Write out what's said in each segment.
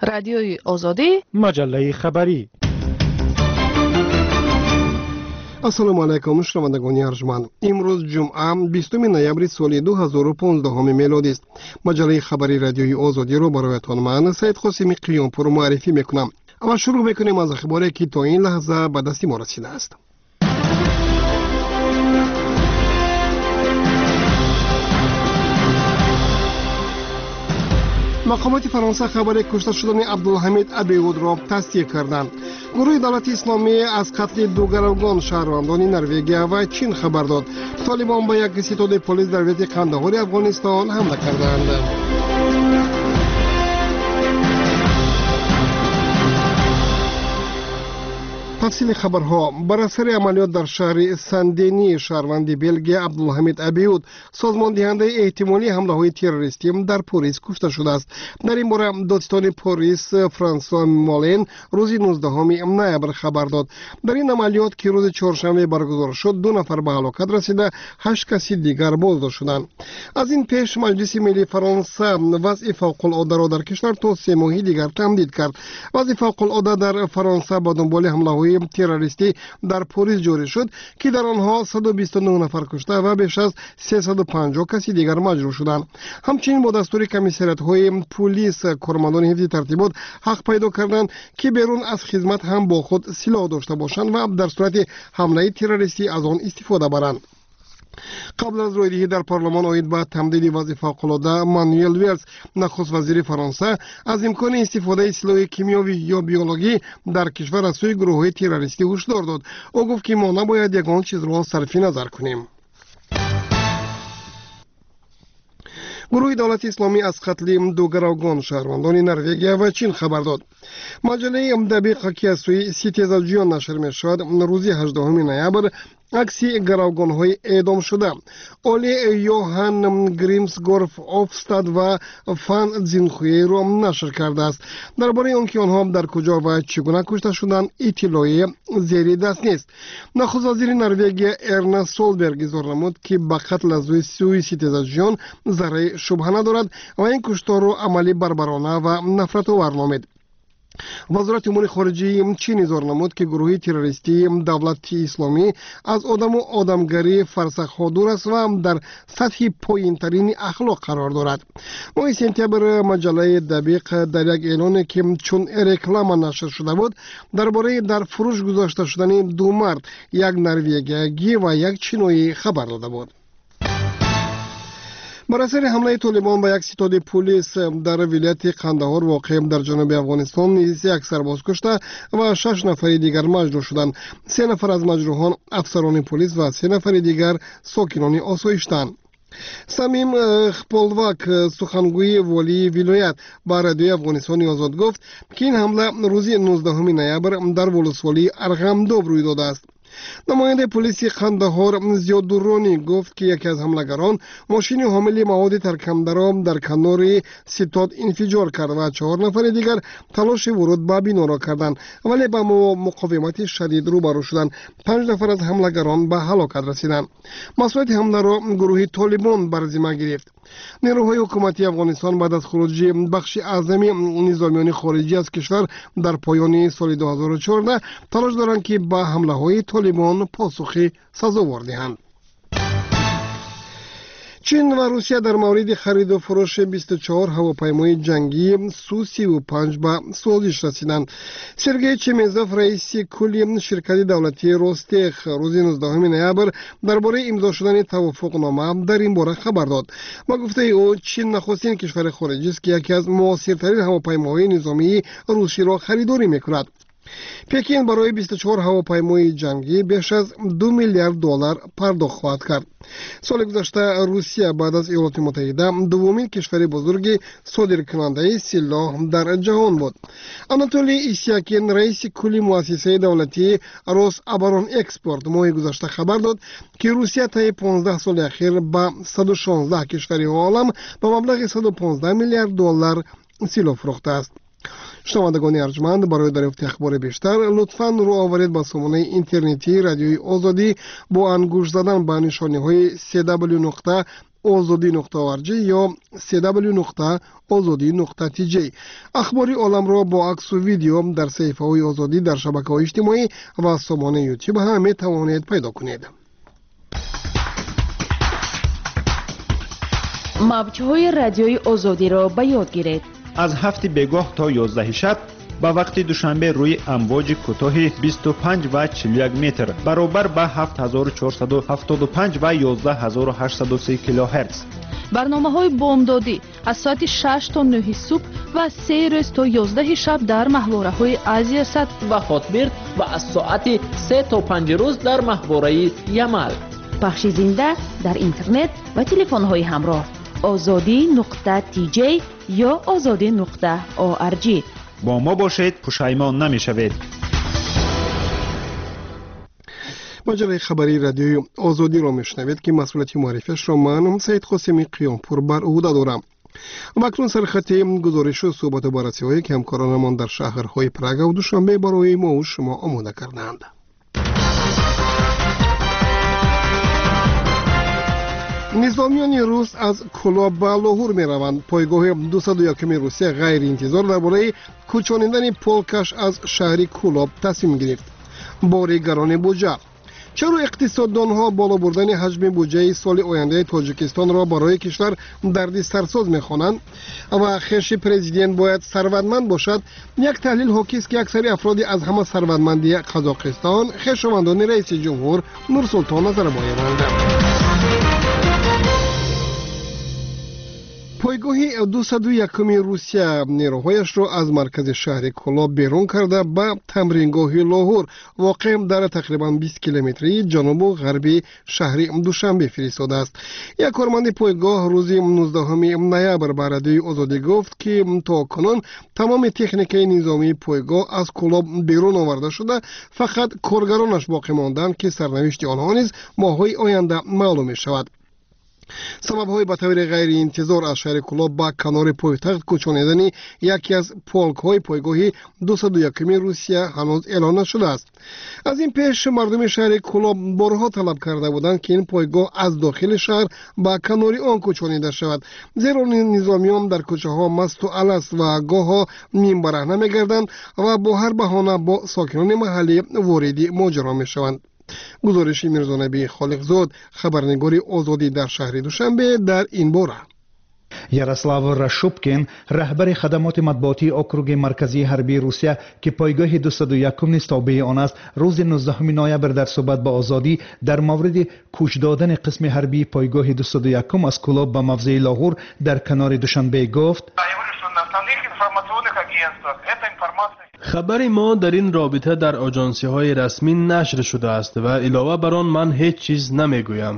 Радиои Озодӣ, маҷаллаи хабарӣ. Ассалому алайкум, шунавандагони арҷманд. Имрӯз ҷумъа, 20 ноябри соли 2015 мелодист. Маҷаллаи хабарии Радиои Озодиро бароятон ман, Саид Қосими Қиёмпур, муаррифӣ мекунам. Аввал шурӯъ мекунем аз ахборе, ки то ин лаҳза ба дасти мо расидааст. Мақомоти Фаронса хабари кушта шудани Абдулҳамид Абиудро тасдиқ карданд. Гурӯҳи Давлати Исломӣ аз қатли ду гаравгон, шаҳрвандони Норвегия ва Чин, хабар дод. Толибон ба як ситоди полис дар вилояти Қандаҳори Афғонистон ҳамла карданд. Тафсили хабарҳо. Бар асари амалиёт дар шаҳри Сандени, шаҳрванди Белгия Абдулҳамид Абиуд, созмондиҳандаи эҳтимолии ҳамлаҳои террористӣ дар Порис, кушта шудааст. Дар ин бора додситони Порис Франсуа Молен рӯзи 19 ноябр хабар дод. Дар ин амалиёт, ки рӯзи чоршанбе баргузор шуд, ду нафар ба ҳалокат расида, ҳашт каси дигар боздошт шуданд. Аз ин пеш Маҷлиси Миллии Фаронса вазъи фавқулоддаро дар кишвар то 3 моҳи дигар тамдид кард. Вазъи фавқулодда дар Фаронса ба дунболи ҳамлаҳои террористӣ дар Порис ҷорӣ шуд, ки дар онҳо 129 нафар кушта ва беш аз 350 каси дигар маҷрӯҳ шуданд. Ҳамчунин бо дастури комиссариятҳои пулис кормандони ҳифзи тартибот ҳақ пайдо карданд, ки берун аз хизмат ҳам бо худ силоҳ дошта бошанд ва дар сурати ҳамлаи террористӣ аз он истифода баранд. Қабл аз рӯйдиҳӣ дар парлумон оид ба тамдиди вазъи фавқулодда, Мануэл Велс, нахуст вазири Фаронса, аз имкони истифодаи силоҳи кимиёвӣ ё биологӣ дар кишвар аз сӯи гурӯҳҳои террористӣ ҳушдор дод. Ӯ гуфт, ки мо набояд ягон чизро сарфи назар кунем. Гурӯҳи Давлати Исломӣ аз қатли ду гаравгон, шаҳрвандони Норвегия ва Чин, хабар дод. Маҷаллаи Дабиқ, ки аз сӯи ситезаҷӯён нашр мешавад, рӯзи 18 ноябр акси гаравгонҳои эъдомшуда Оли Йоҳан Гримсгорф Офстад ва Фан Зинхуеро нашр кардааст. Дар бораи он ки онҳо дар куҷо ва чӣ гуна кушта шуданд, иттилои зери даст нест. Нахуст вазири Норвегия Эрна Солберг изҳор намуд, ки ба қатл аз сӯи ситезаҷӯён зарраи шубҳа надорад ва ин кушторро амали барбарона ва нафратовар номид. Вазорати умури хориҷии Чин изҳор намуд, ки гурӯҳи террористии Давлати Исломӣ аз одаму одамгарии фарсахҳо дур аст ва дар сатҳи поинтарини ахлоқ қарор дорад. Моҳи сентябр маҷаллаи Дабиқ дар як эълоне, ки чун реклама нашр шуда буд, дар бораи дар фурӯш гузошта шудани ду мард, як норвегиягӣ ва як чиноӣ, хабар дода буд. Бар асари ҳамлаи толибон ба як ситоди пулис дар вилояти Қандаҳор, воқеъ дар ҷануби Афғонистон, низ як сарбоз кушта ва шаш нафари дигар маҷрӯҳ шуданд. Се нафар аз маҷрӯҳон афсарони пулис ва се нафари дигар сокинони осоиштанд. Самим Хполвак, сухангӯи волии вилоят, ба Радиои Афғонистони Озод гуфт, ки ин ҳамла рӯзи 19 ноябр дар волусволии Арғамдоб рӯй додааст. Намояндаи полиси Қандаҳор Зиёдурронӣ гуфт, ки яке аз ҳамлагарон мошини ҳомили маводи таркандаро дар канори ситод инфиҷор кард ва чаҳор нафари дигар талоши вуруд ба биноро карданд, вале ба муқовимати шадид рӯбарӯ шуданд. Панҷ нафар аз ҳамлагарон ба ҳалокат расиданд. Масъулияти ҳамларо гурӯҳи Толибон бар зимма гирифт. Нерӯҳои ҳукуматии Афғонистон баъд аз хуруҷи бахши аъзами низомиёни хориҷӣ аз кишвар дар поёни соли 2014 талош доранд, ки ба ҳамлаҳои Толибон посухи сазовор диҳанд. Чин ва Русия дар мавриди хариду фурӯши 24 ҳавопаймои ҷангии Су-35 ба созиш расиданд. Сергей Чемезов, раиси кулли ширкати давлатии Ростех, рӯзи 19 ноябр дар бораи имзо шудани тавофуқнома дар ин бора хабар дод. Ба гуфтаи ӯ, Чин нахустин кишвари хориҷист, ки яке аз муосиртарин ҳавопаймоҳои низомии русиро харидорӣ мекунад. Пекин барои 24 ҳавопаймои ҷангӣ беш аз 2 миллиард доллар пардохт хоҳад кард. Соли гузашта Русия баъд аз Иёлоти Муттаҳида дуввумин кишвари бузурги содиркунандаи силоҳ дар ҷаҳон буд. Анатолий Исякин, раиси кулли муассисаи давлатии Рособоронэкспорт, моҳи гузашта хабар дод, ки Русия таи 15 соли ахир ба 116 кишвари олам ба маблағи 115 миллиард доллар силоҳ фурӯхтааст. Шунавандагони арҷманд, барои дарёфти ахбори бештар лутфан рӯ оваред ба сомонаи интернетии Радиои Озодӣ бо ангушт задан ба нишониҳои cw нуқта ozodi.org ё cw.ozodi.tj. Ахбори оламро бо аксу видео дар саҳифаҳои Озодӣ дар шабакаҳои иҷтимоӣ ва сомонаи Ютуб ҳам метавонед пайдо кунед. Мавҷҳои радиои Озодиро ба ёд гиред. Аз 7 бегоҳ то 11 шаб ба вақти Душанбе рӯи амвоҷи кӯтоҳи 25 ва 41 метр баробар ба 7475 ва 11830 килогерц. Барномаҳои бомдодӣ аз соати 6 то 9 субҳ ва 3 рӯз то 11 шаб дар маҳвораҳои Азиясат ва Хотбирд ва аз соати 3 то 5 рӯз дар маҳвораи Ямал. Пахши зинда дар интернет ва телефонҳои ҳамроҳ ozodi.tj ё ozodi.org. Бо мо бошед, пушаймон намешавед. Маҷаллаи хабарии радиои Озодиро мешунавед, ки масъулияти муаррифиашро ман, Саид Қосими Қиёмпур, бар ӯҳда дорам. Ва акнун сархати гузоришу суҳбату баррасиҳое, ки ҳамкоронамон дар шаҳрҳои Прага ва Душанбе барои мову шумо омода кардаанд. Низомиёни рус аз Кӯлоб ба Лоҳур мераванд. Пойгоҳи 201-ми Русия ғайриинтизор дар бораи кӯчонидани полкаш аз шаҳри Кӯлоб тасмим гирифт. Бори гарони буҷа. Чаро иқтисоддонҳо боло бурдани ҳаҷми буҷаи соли ояндаи Тоҷикистонро барои кишвар дарди сарсоз мехонанд ва хеши президент бояд сарватманд бошад? Як таҳлил ҳокист, ки аксари афроди аз ҳама сарватманди Қазоқистон хешовандони раиси ҷумҳур Нурсултон Назарбоеванд. Пойгоҳи 201-ми Русия нерӯҳояшро аз маркази шаҳри Кӯлоб берун карда ба тамрингоҳи Лоҳур, воқеъ дар тақрибан 20 километрии ҷанубу ғарби шаҳри Душанбе, фиристодааст. Як корманди пойгоҳ рӯзи 19 ноябр ба радиои Озодӣ гуфт, ки то кунун тамоми техникаи низомии пойгоҳ аз Кӯлоб берун оварда шуда, фақат коргаронаш боқӣ монданд, ки сарнавишти онҳо низ моҳҳои оянда маълум мешавад. Сабабҳои ба таври ғайриинтизор аз шаҳри Кӯлоб ба канори пойтахт кӯчонидани яке аз полкҳои пойгоҳи 201-ми Русия ҳанӯз эълон нашудааст. Аз ин пеш мардуми шаҳри Кӯлоб борҳо талаб карда буданд, ки ин пойгоҳ аз дохили шаҳр ба канори он кӯчонида шавад, зеро низомиён дар кӯчаҳо масту аласт ва гоҳо нимбараҳна мегарданд ва бо ҳар баҳона бо сокинони маҳаллӣ вориди моҷаро мешаванд. Гузориши Мирзонабии Холиқзод, хабарнигори Озодӣ дар шаҳри Душанбе, дар ин бора. Ярослав Рашупкин, раҳбари хадамоти матбуотии округи марказии ҳарбии Русия, ки пойгоҳи 201 низ тобеи он аст, рӯзи 19 ноябр дар суҳбат ба Озодӣ дар мавриди кӯч додани қисми ҳарбии пойгоҳи 201 аз Кӯлоб ба мавзеи Лоҳур дар канори Душанбе гуфт: Хабари мо дар ин робита дар оҷонсиҳои расмӣ нашр шудааст ва илова бар он ман ҳеҷ чиз намегӯям.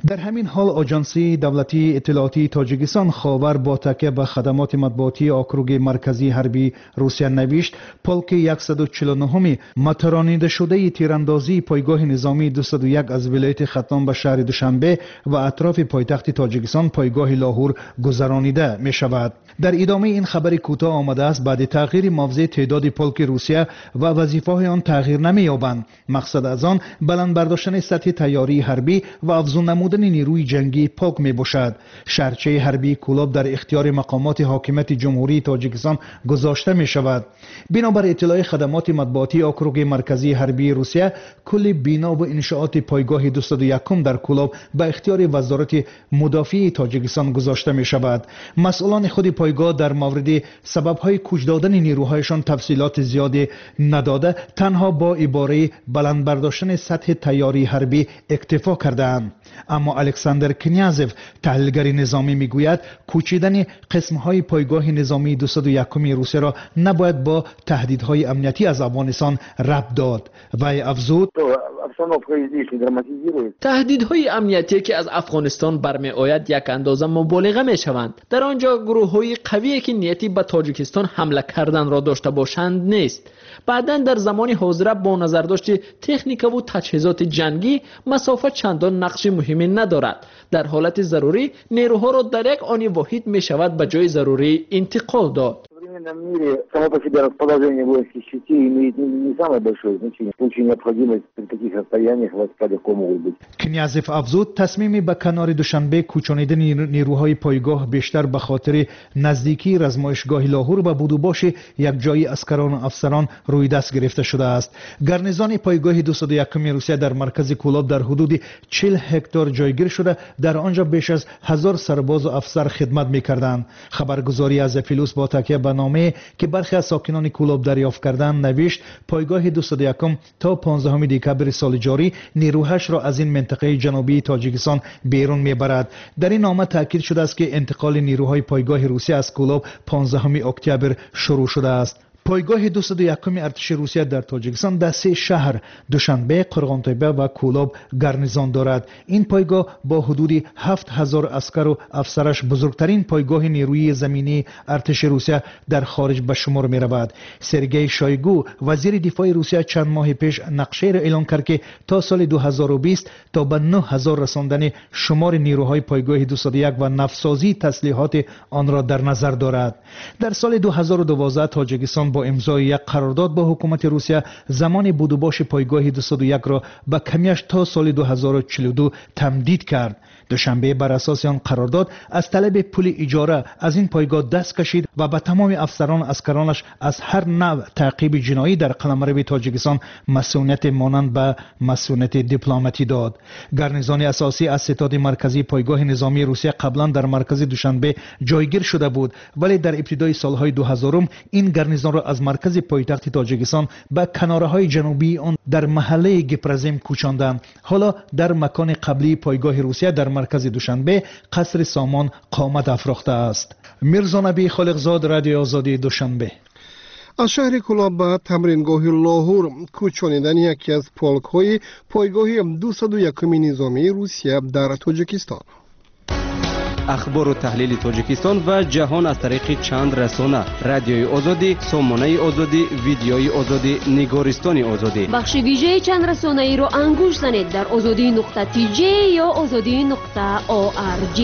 Дар ҳамин ҳол оҷонсии давлатии иттилоотии Тоҷикистон Ховар бо такя ба хадамоти матбуотии округи марказии ҳарбии Русия навишт: полки 149-ми матаронидашудаи тирандозии пойгоҳи низомии 201 аз вилояти Хатлон ба шаҳри Душанбе ва атрофи пойтахти Тоҷикистон пойгоҳи Лоҳур гузаронида мешавад. Дар идомаи ин хабари кӯтоҳ омадааст: баъди тағйири мавзеъ теъдоди полки Русия ва вазифаҳои он тағйир намеёбанд. Мақсад аз он баланд бардоштани сатҳи тайёрии ҳарбӣ ва афзун намудани нерӯи ҷангии полк мебошад. Шаҳрчаи ҳарбии Кӯлоб дар ихтиёри мақомоти ҳокимияти Ҷумҳурии Тоҷикистон гузошта мешавад. Бинобар иттилои хадамоти матбуотии округи марказии ҳарбии Русия, кулли бино ва иншооти пойгоҳи 201 дар Кӯлоб ба ихтиёри Вазорати мудофиаи Тоҷикистон гузошта мешавад. Масъулони худи пойгоҳ дар мавриди сабабҳои кӯч додани нерӯҳояшон тафсилоти зиёде надода, танҳо бо ибораи баланд бардоштани сатҳи тайёрии ҳарбӣ иктифо кардаанд. Аммо Александр Князев, таҳлилгари низомӣ, мегӯяд кӯчидани қисмҳои пойгоҳи низомии 201-ми Русияро набояд бо таҳдидҳои амниятӣ аз Афғонистон рабт дод. Вай афзуд: Таҳдидҳои амниятие, ки аз Афғонистон бармеояд, як андоза муболиға мешаванд. Дар он ҷо гурӯҳҳои қавие, ки нияти ба Тоҷикистон ҳамла карданро дошта бошанд, нест. Баъдан дар замони ҳозира бо назардошти техникаву таҷҳизоти ҷангӣ масофа чандон нақши муҳиме надорад. Дар ҳолати зарурӣ нерӯҳоро дар як они воҳид мешавад ба ҷои зарурӣ интиқол дод. Современном мире само по себе расположение воинских частей имеет не самое большое значение. В случае необходимости при таких расстояниях войска легко могут быть. Князев афзуд, тасмими ба канори Душанбе кӯчонидани нерӯҳои пойгоҳ бештар ба хотири наздикии размоишгоҳи Лоҳур ва будубоши якҷои аскарону афсарон рӯи даст гирифта шудааст. Гарнизони пойгоҳи 201 Русия дар маркази Кӯлоб дар ҳудуди 40 ҳектор ҷойгир шуда, дар он ҷо беш аз 1000 сарбозу афсар хидмат мекарданд. Хабаргузории Азия Плюс бо такя ба номае, ки бархе аз сокинони Кӯлоб дарёфт карданд, навишт: пойгоҳи 201 то 15 декабри соли ҷорӣ нерӯҳашро аз ин минтақаи ҷанубии Тоҷикистон берун мебарад. Дар ин нома таъкид шудааст, ки интиқоли нерӯҳои пойгоҳи Русия аз Кӯлоб 15 октябр шурӯъ шудааст. Пойгоҳи 201 артиши Русия дар Тоҷикистон дар се шаҳр Душанбе, Қурғонтеппа ва Кӯлоб гарнизон дорад. Ин пойгоҳ бо ҳудуди 7000 аскару афсараш бузургтарин пойгоҳи нерӯи заминии артиши Русия дар хориҷ ба шумор меравад. Сергей Шойгу, вазири дифои Русия, чанд моҳи пеш нақшаеро эълон кард, ки то соли 2020 то ба 9000 расондани шумори нерӯҳои пойгоҳи 201 ва навсозии таслиҳоти онро дар назар дорад. Дар соли 2012 Тоҷикистон бо имзои як қарордод бо ҳукумати Русия замони будубоши пойгоҳи 201-ро ба камияш то соли 2042 тамдид кард. Душанбе бар асоси он қарордод аз талаби пули иҷора аз ин пойгоҳ даст кашид ва ба тамоми афсарон аскаронаш аз ҳар навъ таъқиби ҷиноӣ дар қаламрави Тоҷикистон масъунияти монанд ба масъунияти дипломатӣ дод. Гарнизони асосӣ аз ситоди марказии пойгоҳи низомии Русия қаблан дар маркази Душанбе ҷойгир шуда буд, вале дар ибтидои солҳои 2000 ин гарнизонро аз маркази пойтахти Тоҷикистон ба канораҳои ҷанубии он дар маҳаллаи Гипразим кӯчонданд. Ҳоло дар макони қаблии пойгоҳи Русия дар маркази Душанбе қасри Сомон қомат афрохтааст. Мирзонаби Холиқзод, Радиои Озодии Душанбе. Аз шаҳри Кӯлоб ба тамрингоҳи Лоҳур кӯчонидани яке аз полкҳои пойгоҳи 201 низомии Русия дар Тоҷикистон. Ахбору таҳлили Тоҷикистон ва ҷаҳон аз тариқи чанд расона: Радиои Озодӣ, Сомонаи Озодӣ, Видеои Озодӣ, Нигористони Озодӣ. Бахши вижаи чанд расонаиро ангуш занед дар озодӣ нуқта тж ё озодӣ нуқта орг.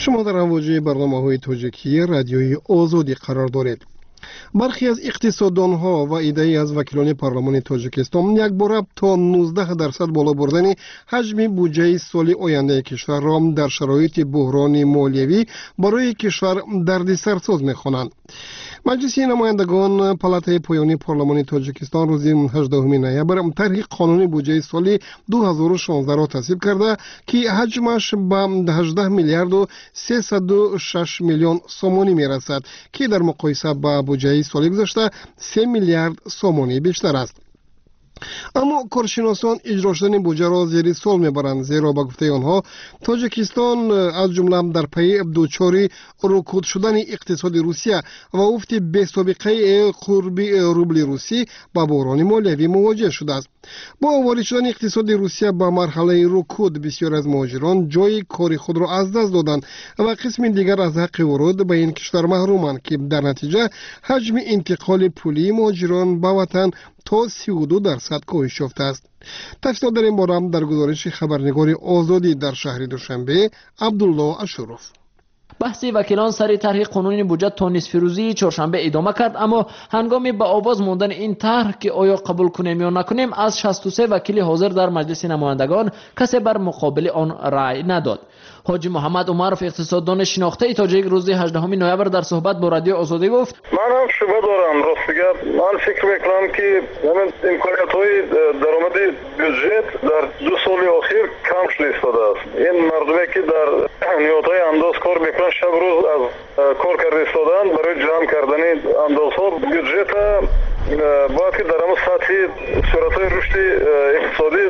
Шумо дар амвоҷи барномаҳои тоҷикии Радиои Озодӣ қарор доред. Бархе аз иқтисоддонҳо ва иддаи аз вакилони парлумони Тоҷикистон якбора то 19% боло бурдани ҳаҷми буҷаи соли ояндаи кишварро дар шароити буҳрони молиявӣ барои кишвар дардисарсоз мехонанд. Маҷлиси намояндагон, палатаи поёнии парлумони Тоҷикистон, рӯзи 18 ноябр тарҳи қонуни буҷаи соли 2016-ро тасвиб карда, ки ҳаҷмаш ба 18 миллиарду 306 миллион сомонӣ мерасад, ки дар муқоиса ба буҷаи соли гузашта 3 миллиард сомонӣ бештар аст. Аммо коршиносон иҷро шудани буҷаро зери суол мебаранд, зеро ба гуфтаи онҳо Тоҷикистон аз ҷумла дар пайи дучори рукуд шудани иқтисоди Русия ва уфти бесобиқаи қурби рубли русӣ ба буҳрони молиявӣ мувоҷеҳ шудааст. Бо ворид шудани иқтисоди Русия ба марҳалаи рукуд бисёр аз муҳоҷирон ҷойи кори худро аз даст доданд ва қисми дигар аз ҳаққи вуруд ба ин кишвар маҳруманд, ки дар натиҷа ҳаҷми интиқоли пулии муҳоҷирон ба ватан то 32% коҳиш ёфтааст. Тафсилот дар ин бора дар гузориши хабарнигори Озодӣ дар шаҳри Душанбе Абдулло Ашуров. Баҳси вакилон сари тарҳи қонуни буҷа то нисфирӯзии чоршанбе идома кард, аммо ҳангоми ба овоз мондани ин тарҳ, ки оё қабул кунем ё накунем, аз 63 вакили ҳозир дар Маҷлиси намояндагон касе бар муқобили он рай надод. Ҳоҷи Муҳаммад Умаров, иқтисоддони шинохтаи тоҷик, рӯзи 18 ноябр дар суҳбат бо Радиои Озодӣ гуфт: Ман ҳам шубҳа дорам, рости гап. Ман фикр мекунам, ки ҳамин имкониятҳои даромади бюджет дар 2 соли охир кам шуда истодааст. Ин мардуме, ки дар ниҳодҳои андоз кор мекунанд, шаб рӯз аз кор карда истодаанд барои ҷамъ кардани андозҳо. Бюджета бояд ки дар ҳамон сатҳи суръатҳои рушди иқтисодӣ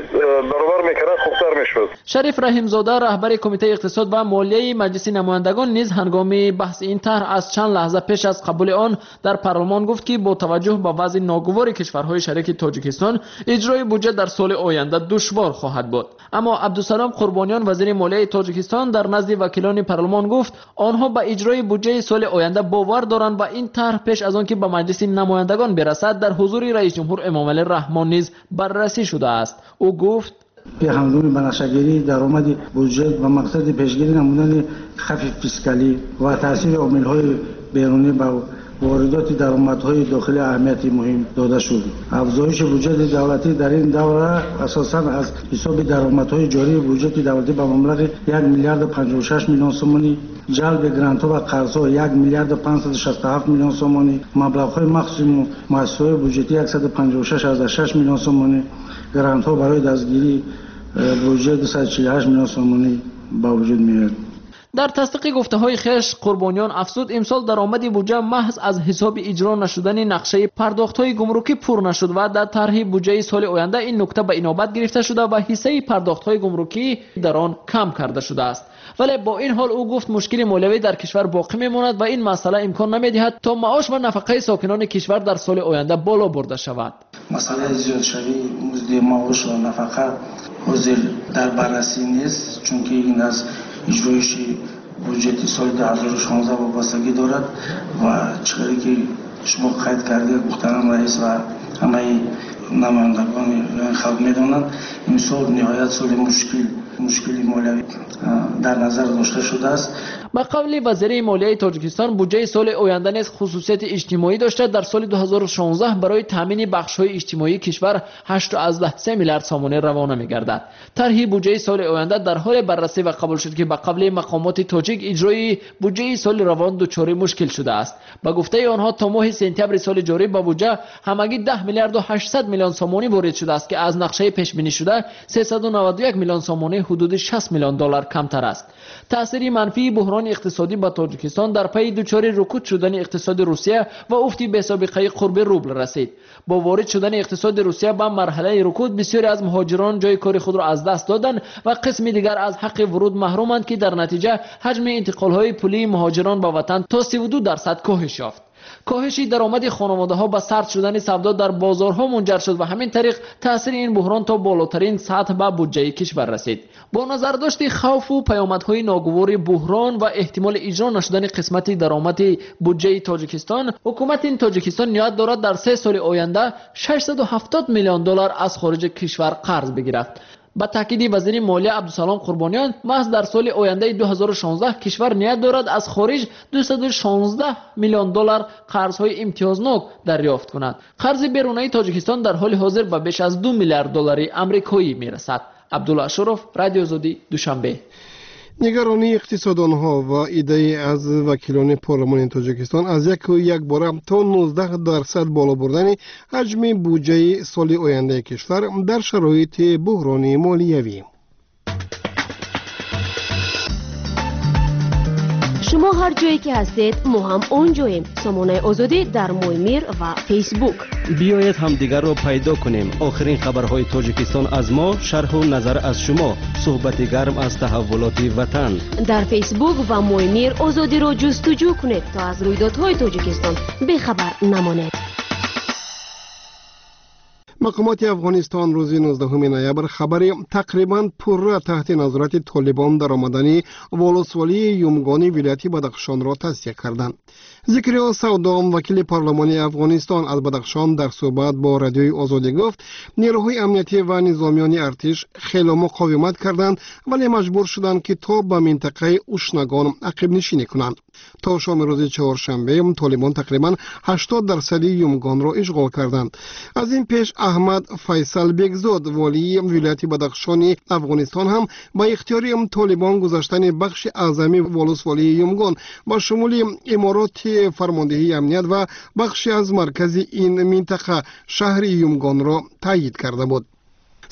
баробар мекард, хубтар мешуд. Шариф Раҳимзода, раҳбари Кумитаи иқтисод ва молияи Маҷлиси намояндагон, низ ҳангоми баҳси ин тарҳ аз чанд лаҳза пеш аз қабули он дар парлумон гуфт, ки бо таваҷҷӯҳ ба вазъи ногувори кишварҳои шарики Тоҷикистон иҷрои буҷа дар соли оянда душвор хоҳад буд. Аммо Абдусалом Қурбониён, вазири молияи Тоҷикистон, дар назди вакилони парлумон гуфт, онҳо ба иҷрои буҷаи соли оянда бовар доранд ва ин тарҳ пеш аз он ки ба Маҷлиси намояндагон бирасад, дар ҳузури раисҷумҳур Эмомалӣ Раҳмон низ баррасӣ шудааст. Ӯ гуфт: Ҳангоми ба нақшагирии даромади буҷет ба мақсади пешгирӣ намудани хавфи фискалӣ ва таъсири омилҳои берунӣ ба воридоти даромадҳои дохилӣ аҳамияти муҳим дода шуд. Афзоиши буҷети давлатӣ дар ин давра асосан аз ҳисоби даромадҳои ҷории буҷети давлатӣ ба маблағи 1 миллиарду 56 миллион сомонӣ, ҷалби грантҳо ва қарзҳо 1 миллиарду 567 миллион сомонӣ, маблағҳои махсуси муассисаҳои буҷетӣ 156,6 миллион сомонӣ, грантҳо барои дастгирии буҷет 248 миллион сомонӣ ба вуҷуд меояд. Дар тасдиқи гуфтаҳои хеш Қурбониён афзуд, имсол даромади буҷа маҳз аз ҳисоби иҷро нашудани нақшаи пардохтҳои гумрукӣ пур нашуд ва дар тарҳи буҷаи соли оянда ин нукта ба инобат гирифта шуда ва ҳиссаи пардохтҳои гумрукӣ дар он кам карда шудааст. Вале бо ин ҳол ӯ гуфт, мушкили молиявӣ дар кишвар боқӣ мемонад ва ин масъала имкон намедиҳад то маош ва нафақаи сокинони кишвар дар соли оянда боло бурда шавад. Масъалаи зиёдшавии музди маош ва нафақа ҳозир дар баррасӣ нест, чунки ин аз иҷроиши буҷети соли 2016 вобастагӣ дорад ва чӣ ки шумо қайд кардед, муҳтарам раис ва ҳамаи намояндагони халқ медонанд, имсол ниҳоят соли мушкили молиявӣ дар назар дошта шудааст. Ба қавли вазири молияи Тоҷикистон, буҷаи соли оянда низ хусусияти иҷтимоӣ дошта, дар соли 2016 барои таъмини бахшҳои иҷтимоии кишвар 8,3 миллиард сомонӣ равона мегардад. Тарҳи буҷаи соли оянда дар ҳоле баррасӣ ва қабул шуд, ки ба қавли мақомоти тоҷик иҷрои буҷаи соли равон дучори мушкил шудааст. Ба гуфтаи онҳо то моҳи сентябри соли ҷорӣ ба буҷа ҳамагӣ 10 миллиарду 800 миллион сомонӣ ворид шудааст, ки аз нақшаи пешбинишуда 391 миллион сомонӣ ҳудуди 60 миллион доллар камтар аст. Таъсири манфии буҳрони иқтисодӣ ба Тоҷикистон дар пайи дучори рукуд шудани иқтисоди Русия ва уфти бесобиқаи қурби рубл расид. Бо ворид шудани иқтисоди Русия ба марҳалаи рукуд бисёре аз муҳоҷирон ҷои кори худро аз даст доданд ва қисми дигар аз ҳаққи вуруд маҳруманд, ки дар натиҷа ҳаҷми интиқолҳои пулии муҳоҷирон ба ватан то 32% коҳиш ёфт. Коҳиши даромади хонаводаҳо ба сард шудани савдо дар бозорҳо мунҷар шуд ва ҳамин тариқ таъсири ин буҳрон то болотарин сатҳ ба буҷаи кишвар расид. Бо назардошти хавфу паёмадҳои ногувори буҳрон ва эҳтимоли иҷро нашудани қисмати даромади буҷаи Тоҷикистон, ҳукумати Тоҷикистон ният дорад дар 3 соли оянда 670 миллион доллар аз хориҷи кишвар қарз бигирад. Ба таъкиди вазири молия Абдусалом Қурбониён, маҳз дар соли ояндаи 2016 кишвар ният дорад аз хориҷ 216 миллион доллар қарзҳои имтиёзнок дарёфт кунад. Қарзи берунаи Тоҷикистон дар ҳоли ҳозир ба беш аз 2 миллиард доллари амрикоӣ мерасад. Абдулло Ашуров, Радио Озодӣ, Душанбе. Нигаронии иқтисодонҳо ва иддаи аз вакилони парлумони Тоҷикистон аз якбора то 19% боло бурдани ҳаҷми буҷаи соли ояндаи кишвар дар шароити буҳрони молиявӣ. Шумо ҳар ҷое ки ҳастед, мо ҳам он ҷоем. Сомонаи Озодӣ дар Моймир ва Фейсбук. Биёед ҳамдигарро пайдо кунем. Охирин хабарҳои Тоҷикистон аз мо, шарҳу назар аз шумо, суҳбати гарм аз таҳаввулоти ватан. Дар Фейсбук ва Моймир Озодиро ҷустуҷӯ кунед, то аз рӯйдодҳои Тоҷикистон бехабар намонед. Мақомоти Афғонистон рӯзи 19 ноябр хабари тақрибан пурра таҳти назорати Толибон даромадани волусволии Юмгони вилояти Бадахшонро тасдиқ карданд. Зикриё Савдом, вакили парлумони Афғонистон аз Бадахшон, дар суҳбат бо Радиои Озодӣ гуфт, нерӯҳои амниятӣ ва низомиёни артиш хело муқовимат карданд, вале маҷбур шуданд, ки то ба минтақаи Ушнагон ақибнишинӣ кунанд. То шоми рӯзи чоршанбе Толибон тақрибан 80% Юмгонро ишғол карданд. Аз ин пеш Аҳмад Файсал Бегзод, волии вилояти Бадахшони Афғонистон, ҳам ба ихтиёри Толибон гузаштани бахши аъзами волусволии Юмгон ба шумули имороти фармондеҳии амният ва бахши аз маркази ин минтақа шаҳри Юмгонро таъйид карда буд.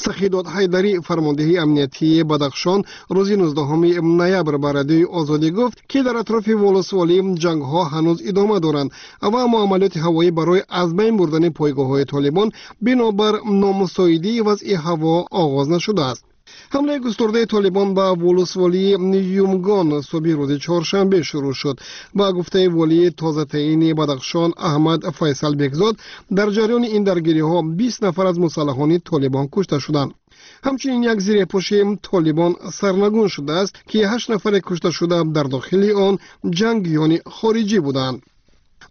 Сахидод Ҳайдарӣ, фармондеҳии амниятии Бадахшон, рӯзи 19 ноябр ба Радиои Озодӣ гуфт, ки дар атрофи волусволӣ ҷангҳо ҳанӯз идома доранд ва муамалиёти ҳавоӣ барои аз байн бурдани пойгоҳҳои Толибон бинобар номусоидии вазъи ҳаво оғоз нашудааст. Ҳамлаи густурдаи Толибон ба волусволии Юмгон субҳи рӯзи чоршанбе шурӯъ шуд. Ба гуфтаи волии тозатаини Бадахшон Аҳмад Файсал Бекзод, дар ҷараёни ин даргириҳо 20 нафар аз мусаллаҳони Толибон кушта шуданд. Ҳамчунин як зирепӯши Толибон сарнагун шудааст, ки 8 нафаре кушташуда дар дохили он ҷангиёни хориҷӣ буданд.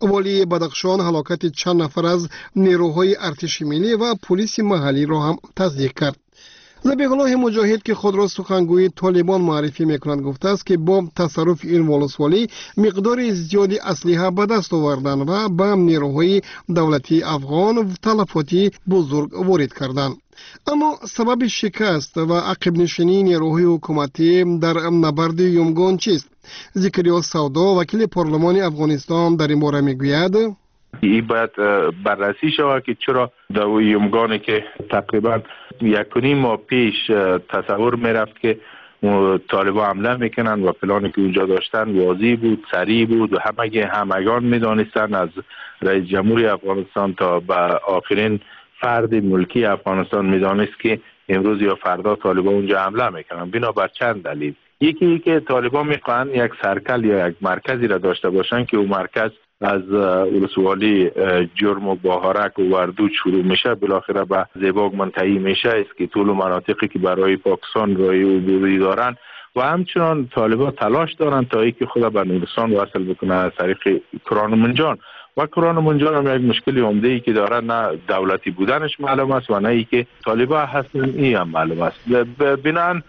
Волии Бадахшон ҳалокати чанд нафар аз нерӯҳои артиши миллӣ ва пулиси маҳаллиро ҳам тасдиқ кард. Забиҳуллоҳи Муҷоҳид, ки худро сухангӯи Толибон муаррифӣ мекунад, гуфтааст, ки бо тасарруфи ин волусволӣ миқдори зиёди аслиҳа ба даст оварданд ва ба нерӯҳои давлатии афғон талафоти бузург ворид карданд. Аммо сабаби шикаст ва ақибнишинии нерӯҳои ҳукуматӣ дар набарди Юмгон чист? Зикриё Савдо, вакили парлумони Афғонистон, дар ин бора мегӯяд: این باید بررسی شود که چرا در یمگانی که تقریبا 1.5 ماه پیش تصور میرفت که طالبا حمله میکنن و پلانی که اونجا داشتن واضح بود، سریع بود و همگان میدانستن، از رئیس جمهوری افغانستان تا به آخرین فرد ملکی افغانستان میدانست که امروز یا فردا طالبا اونجا حمله میکنن، بنابر چند دلیل. یکی که طالبا میخوان یک سرکل یا یک مرکزی را داشته باشن که اون مرکز از ولسوالی جرم و باهارک و وردوچ شروع میشه، بالاخره به زیباگ منتهی میشه، است که طول مناطقی که برای پاکستان رای عبوری دارن و همچنان طالبا تلاش دارن تا اینکه خود به نورستان وصل بکنه از طریق کران و منجان. و کران و منجان هم یک مشکل عمده ای که داره، نه دولتی بودنش معلوم است و نه ای که طالبا هستن این هم معلوم است. بناً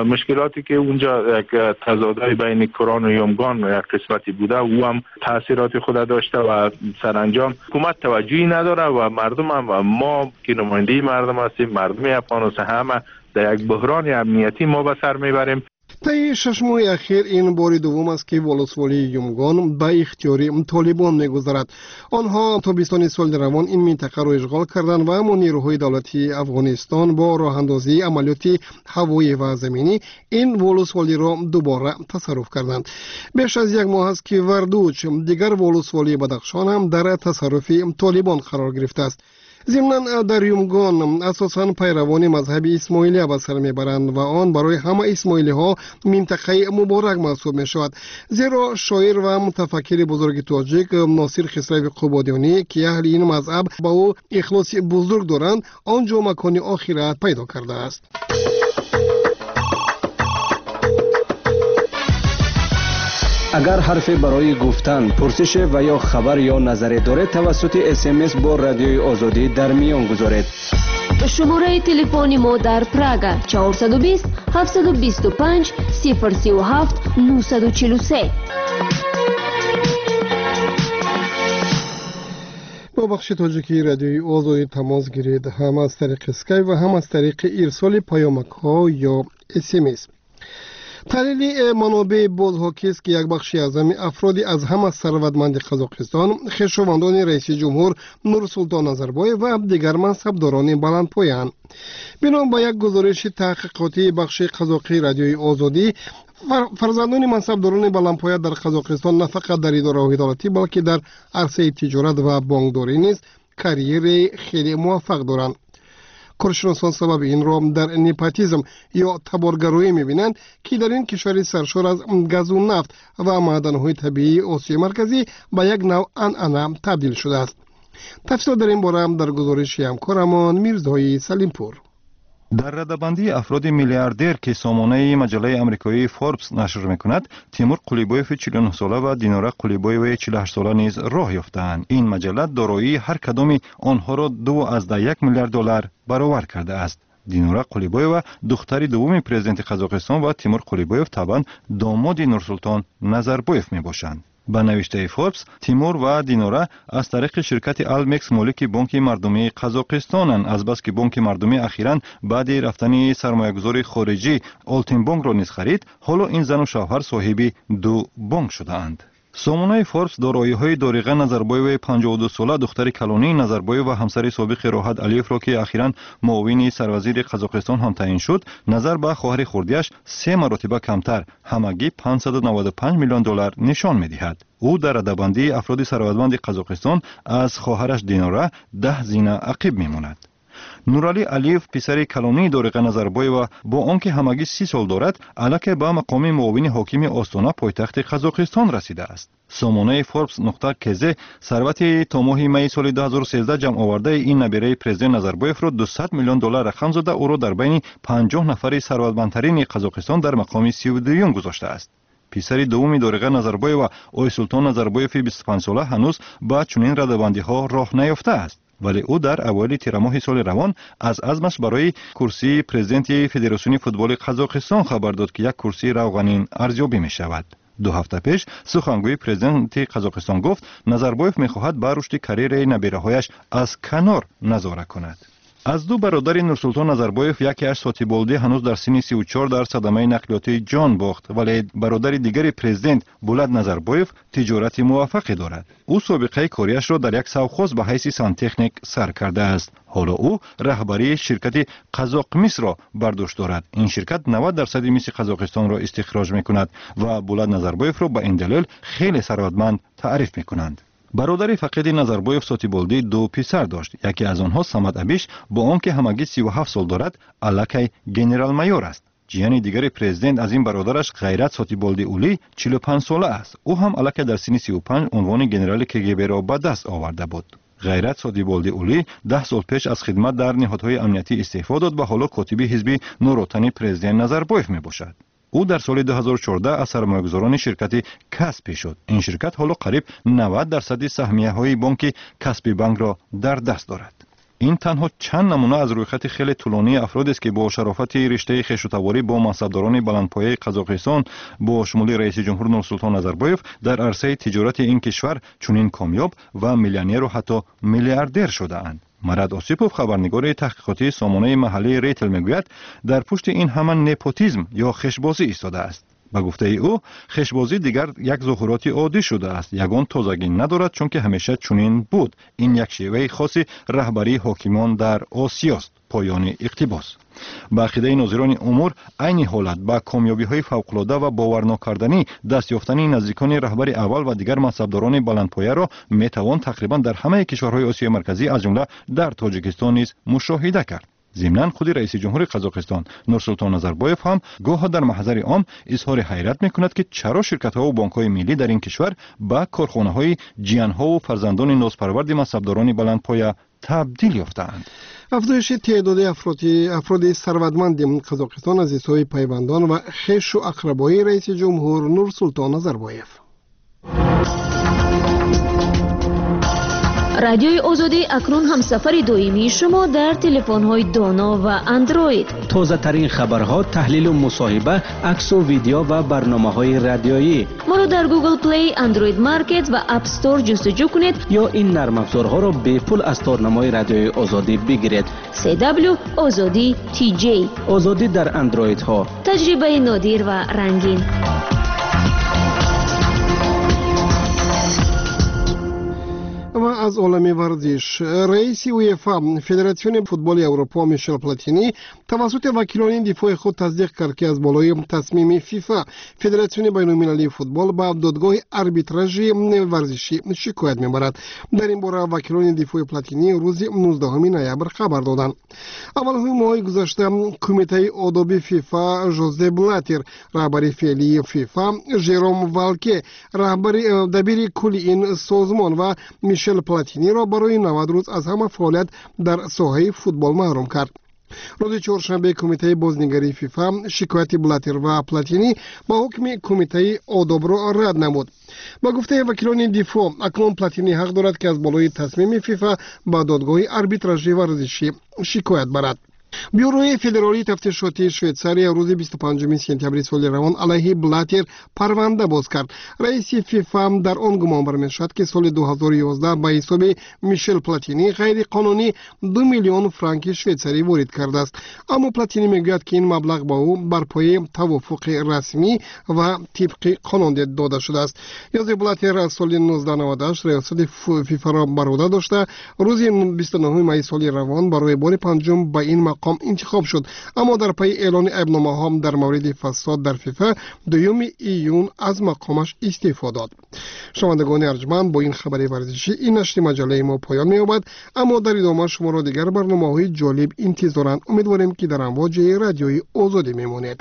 مشکلاتی که اونجا یک تضادهای بین کران و یمگان یک قسمتی بوده، او هم تاثیرات خود داشته و سرانجام حکومت توجهی نداره و مردم هم و ما که نماینده مردم هستیم، مردم افغانستان همه در یک بحران امنیتی ما به سر میبریم. Таи 6 моҳи ахир ин бори дуввум аст, ки волусволии Юмгон ба ихтиёри Толибон мегузарад. Онҳо тобистони соли равон ин минтақаро ишғол карданд ва аммо нерӯҳои давлатии Афғонистон бо роҳандозии амалиёти ҳавоӣ ва заминӣ ин волусволиро дубора тасарруф карданд. Беш аз як моҳ аст, ки Вардуч, дигар волусволии Бадахшон, ҳам дар тасарруфи Толибон қарор гирифтааст. Зимнан дар Юмгон асосан пайравони мазҳаби исмоилия ба сар мебаранд ва он барои ҳама исмоилиҳо минтақаи муборак маҳсуб мешавад, зеро шоир ва мутафаккири бузурги тоҷик Носир Хисрави Қубодиёнӣ, ки аҳли ин мазҳаб ба ӯ ихлоси бузург доранд, он ҷо макони охират пайдо кардааст. Агар ҳарфе барои гуфтан, пурсише ва ё хабар ё назаре доред, тавассути СМС бо Радиои Озодӣ дар миён гузоред. Шумораи телефони мо дар Прага 420 725 037 943. Бо бахши тоҷикии Радиои Озодӣ тамос гиред ҳам аз тариқи скайп ва ҳам аз тариқи ирсоли паёмакҳо ё СМС. Таҳлили манобеи боз ҳокист, ки як бахши аъзами афроди аз ҳама сарватманди Қазоқистон хешовандони раиси ҷумҳур Нурсултон Назарбоев ва дигар мансабдорони баландпоянд. Бино ба як гузориши таҳқиқотии бахши қазоқии Радиои Озодӣ, фарзандони мансабдорони баландпоя дар Қазоқистон на фақат дар идораҳои давлатӣ, балки дар арсаи тиҷорат ва бонкдорӣ низ карьераи хеле муваффақ доранд. Коршиносон сабаби инро дар непотизм ё таборгароӣ мебинанд, ки дар ин кишвари саршор аз газу нафт ва маъданҳои табиии Осиёи Марказӣ ба як нав анъана табдил шудааст. Тафсилот дар ин бора дар гузориши ҳамкорамон Мирзои Салимпур. Дар радабандии афроди миллиардер, ки сомонаи маҷаллаи амрикоии Форбс нашр мекунад, Тимур Қулибоеви 49-сола ва Динора Қулибоеваи 48-сола низ роҳ ёфтаанд. Ин маҷалла дороии ҳар кадоми онҳоро 2,1 миллиард доллар баровар кардааст. Динора Қулибоева духтари дуввуми президенти Қазоқистон ва Тимур Қулибоев табъан домоди Нурсултон Назарбоев мебошанд. Ба навиштаи Форбс, Тимур ва Динора аз тариқи ширкати Алмекс молики Бонки мардумии Қазоқистонанд. Азбаски Бонки мардумӣ ахиран баъди рафтани сармоягузори хориҷӣ Олтинбонкро низ харид, ҳоло ин зану шавҳар соҳиби ду бонк шудаанд. Сомонаи Форбс дороиҳои Дориға Назарбоеваи 52-сола, духтари калонии Назарбоев ва ҳамсари собиқи Роҳат Алиевро, ки ахиран муовини сарвазири Қазоқистон ҳам таъин шуд, назар ба хоҳари хурдиаш се маротиба камтар, ҳамагӣ 595 миллион доллар нишон медиҳад. Ӯ дар радабандии афроди сарватманди Қазоқистон аз хоҳараш Динора 10 зина ақиб мемонад. Нуралӣ Алиев, писари калонии Дориға Назарбоева, бо он ки ҳамагӣ 30 сол дорад, аллакай ба мақоми муовини ҳокими Остона, пойтахти Қазоқистон, расидааст. Сомонаи Форбс нуқта кз сарвати то моҳи майи соли 2013 ҷамъовардаи ин набираи президент Назарбоевро 200 миллион доллар рақам зада, ӯро дар байни 50 нафари сарватмандтарини Қазоқистон дар мақоми 32-юм гузоштааст. Писари дуввуми Дориға Назарбоева, Ойсултон Назарбоеви 25-сола, ҳанӯз ба чунин радабандиҳо роҳ наёфтааст. Вале ӯ дар аввали тирамоҳи соли равон аз азмаш барои курсии президенти Федератсиони футболи Қазоқистон хабар дод, ки як курсии равғанин арзёбӣ мешавад. 2 ҳафта пеш сухангӯи президенти Қазоқистон гуфт, Назарбоев мехоҳад ба рушди карьераи набираҳояш аз канор назора кунад. Аз 2 бародари Нурсултон Назарбоев якеаш Сотиболдӣ ҳанӯз дар синни 34 дар садамаи нақлиётӣ ҷон бохт, вале бародари дигари президент Булат Назарбоев тиҷорати муваффақе дорад. Ӯ собиқаи кориашро дар як совхоз ба ҳайси сантехник сар кардааст. Ҳоло ӯ раҳбарии ширкати Қазоқмисро бар дӯш дорад. Ин ширкат 90% миси Қазоқистонро истихроҷ мекунад ва Булат Назарбоевро ба ин далел хеле сарватманд таъриф мекунанд. Бародари фақиди Назарбоев Сотиболдӣ 2 писар дошт. Яке аз онҳо Самад Абиш бо он ки ҳамагӣ 37 сол дорад, аллакай генерал-майор аст. Ҷияни дигари президент аз ин бародараш Ғайрат Сотиболдӣ Улӣ 45 сола аст. Ӯ ҳам аллакай дар синни 35 унвони генерали КГБ-ро ба даст оварда буд. Ғайрат Сотиболдӣ Улӣ 10 сол пеш аз хидмат дар ниҳодҳои амниятӣ истеъфо дод ва ҳоло котиби ҳизби Нуротани президент Назарбоев мебошад. Ӯ дар соли 2014 аз сармоягузорони ширкати Каспи шуд. Ин ширкат ҳоло қариб 90% саҳмияҳои бонки Каспи банкро дар даст дорад. Ин танҳо чанд намуна аз рӯйхати хеле тӯлонии афродест, ки бо шарофати риштаи хешутаворӣ бо мансабдорони баландпояи Қазоқистон бо шумули раиси ҷумҳур Нурсултон Назарбоев дар арсаи тиҷорати ин кишвар чунин комёб ва миллионеру ҳатто миллиардер шудаанд. Марат Осипов, хабарнигори таҳқиқотии сомонаи маҳаллии Рейтел, мегӯяд, дар пушти ин ҳама непотизм ё хешбозӣ истодааст. Ба гуфтаи ӯ, хешбозӣ дигар як зуҳуроти оддӣ шудааст, ягон тозагӣ надорад, чунки ҳамеша чунин буд. Ин як шеваи хоси раҳбарии ҳокимон дар Осиёст. Поёни иқтибос. Ба ақидаи нозирони умур, айни ҳолат ба комёбиҳои фавқулода ва боварнокарданӣ даст ёфтани наздикони раҳбари аввал ва дигар мансабдорони баландпояро метавон тақрибан дар ҳамаи кишварҳои Осиёи Марказӣ, аз ҷумла дар Тоҷикистон низ мушоҳида кард. Зимнан худи раиси ҷумҳури Қазоқистон Нурсултон Назарбоев ҳам гоҳо дар маҳзари ом изҳори ҳайрат мекунад, ки чаро ширкатҳову бонкҳои миллӣ дар ин кишвар ба корхонаҳои ҷиянҳову фарзандони нозпарварди мансабдорони баландпоя табдил ёфтаанд. Афзоиши теъдоди афроди сарватманди Қазоқистон аз ҳисоби пайвандон ва хешу ақрабои раиси ҷумҳур Нурсултон Назарбоев. Радиои Озодӣ акнун ҳамсафари доимии шумо дар телефонҳои доно ва андроид. Тозатарин хабарҳо, таҳлилу мусоҳиба, аксу видео ва барномаҳои радиоӣ. Моро дар Google Play, Android Market ва App Store ҷустуҷӯ кунед ё ин нармафзорҳоро бепул аз торнамои Радиои Озодӣ бигиред. CW Озодӣ TJ. Озодӣ дар андроидҳо. Таҷрибаи нодир ва рангин. Ва аз олами варзиш. Раиси УЕФА, Федератсиони футболи Аврупо Мишел Платини тавассути вакилони дифои худ тасдиқ кард, ки аз болои тасмими ФИФА, Федератсиони байналмилалии футбол, ба додгоҳи арбитражи варзишӣ шикоят мебарад. Дар ин бора вакилони дифои Платини рӯзи 19 ноябр хабар доданд. Аввалҳои моҳи гузашта кумитаи одоби ФИФА Жозе Блатер, раҳбари феълии ФИФА, Жером Валке, раҳбари дабири кулли ин созмон ва Мишел Платиниро барои 90 рӯз аз ҳама фаъолият дар соҳаи футбол маҳрум кард. Рӯзи чоршанбе кумитаи бознигарии ФИФА шикояти Блатер ва Платини ба ҳукми кумитаи одобро рад намуд. Ба гуфтаи вакилони дифоъ, акнун Платини ҳақ дорад, ки аз болои тасмими ФИФА ба додгоҳи арбитражи варзишӣ шикоят барад. Бюрои федералии тафтишотии Швейтсария рӯзи 25 сентябри соли равон алайҳи Блатер парванда боз кард. Раиси ФИФА дар он гумон бармешавад, ки соли 2011 ба ҳисоби Мишел Платини ғайриқонунӣ 2 миллион франки швейтсарӣ ворид кардааст. Аммо Платини мегӯяд, ки ин маблағ ба ӯ бар пояи тавофуқи расмӣ ва тибқи қонун дода шудааст. Йозе Блатер аз соли 1998 риёсати ФИФАро бар уҳда дошта, рӯзи 29 майи соли равон барои бори панҷум ба ин мақом интихоб шуд. Аммо дар пайи эълони айбномаҳо дар мавриди фасод дар ФИФА 2 июн аз мақомаш истеъфо дод. Шунавандагони арҷманд, бо ин хабари варзишӣ ин нашри маҷаллаи мо поён меёбад, аммо дар идома шуморо дигар барномаҳои ҷолиб интизоранд. Умедворем, ки дар амвоҷи Радиои Озодӣ мемонед.